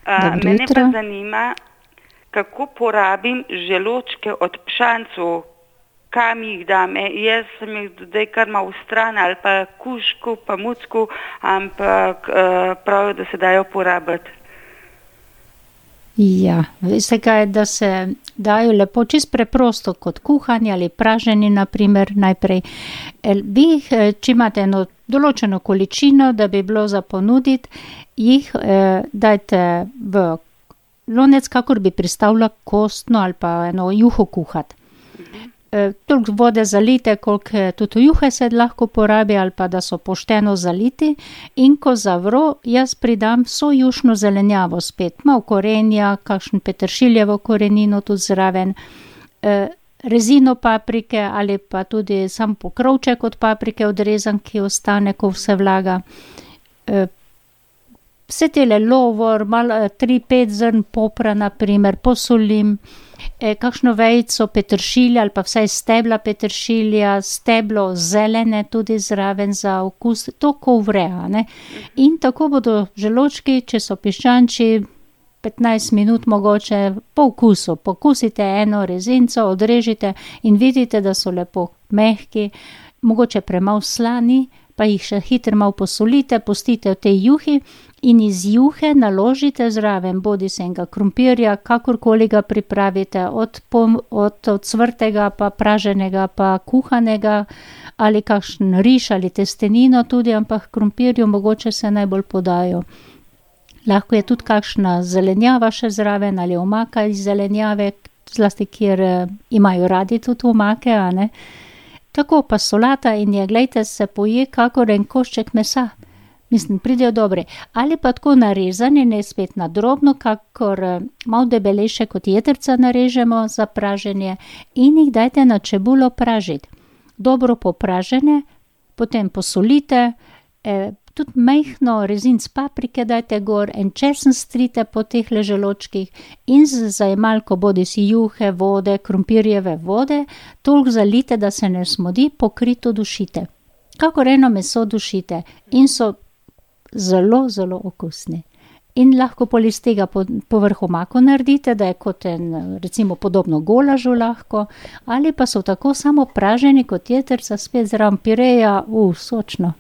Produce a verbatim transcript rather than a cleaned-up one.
Uh, mene pa zanima, kako porabim želočke od pšancov, kam jih dam. E, jaz sem jih dodaj kar malo v stran ali pa kušku, pa mucku, ampak uh, pravijo, da se dajo porabiti. Ja, veste kaj, da se dajo lepo, čist preprosto, kot kuhani ali praženi, naprimer, najprej. Vi jih, če imate eno določeno količino, da bi bilo za ponuditi, jih eh, dajte v lonec, kakor bi pristavila kostno ali pa eno juho kuhati. Eh, toliko vode zalite, koliko tudi juhe se lahko porabi ali pa da so pošteno zaliti, in ko zavro, jaz pridam vso jušno zelenjavo spet, malo korenja, kakšen peteršiljevo korenino tudi zraven, eh, rezino paprike ali pa tudi sam pokrovček od paprike odrezan, ki ostane, ko vse vlaga. Eh, vse tele lovor, malo, tri, pet zrn popra, naprimer, posolim, E, kakšno vejico peteršilja ali pa vsaj stebla peteršilja, steblo zelene tudi zraven za okus, to ko vre, ne. In tako bodo želočki, če so piščančji, petnajst minut mogoče po okusu. Pokusite eno rezinco, odrežite in vidite, da so lepo mehki, mogoče premalo slani, pa jih še hitro malo posolite, pustite v tej juhi in iz juhe naložite zraven, bodi se enega krompirja, kakorkoli ga pripravite, od, pom, od, od cvrtega, pa praženega, pa kuhanega, ali kakšen riž ali testenino tudi, ampak krompirju mogoče se najbolj podajo. Lahko je tudi kakšna zelenjava še zraven ali omaka iz zelenjave, zlasti kjer eh, imajo radi tudi omake, a ne. Tako pa solata in je, glejte, se poje kakor en košček mesa. Mislim, pridejo dobre. Ali pa tako narezani, ne spet na drobno, kakor malo debelejše kot jedrca narežemo za praženje in jih dajte na čebulo pražiti. Dobro popražene, potem posolite, eh, tudi majhno rezinc paprike dajte gor, en česen strite po teh želočkih in z zajemalko bodi si juhe, vode, krompirjeve vode, toliko zalite, da se ne smodi, pokrito dušite. Kakor eno meso dušite in so zelo, zelo okusni. In lahko pol iz tega po, povrh omako naredite, da je kot en, recimo podobno golažu lahko, ali pa so tako samo praženi kot jedrca, spet zraven pireja, u, sočno.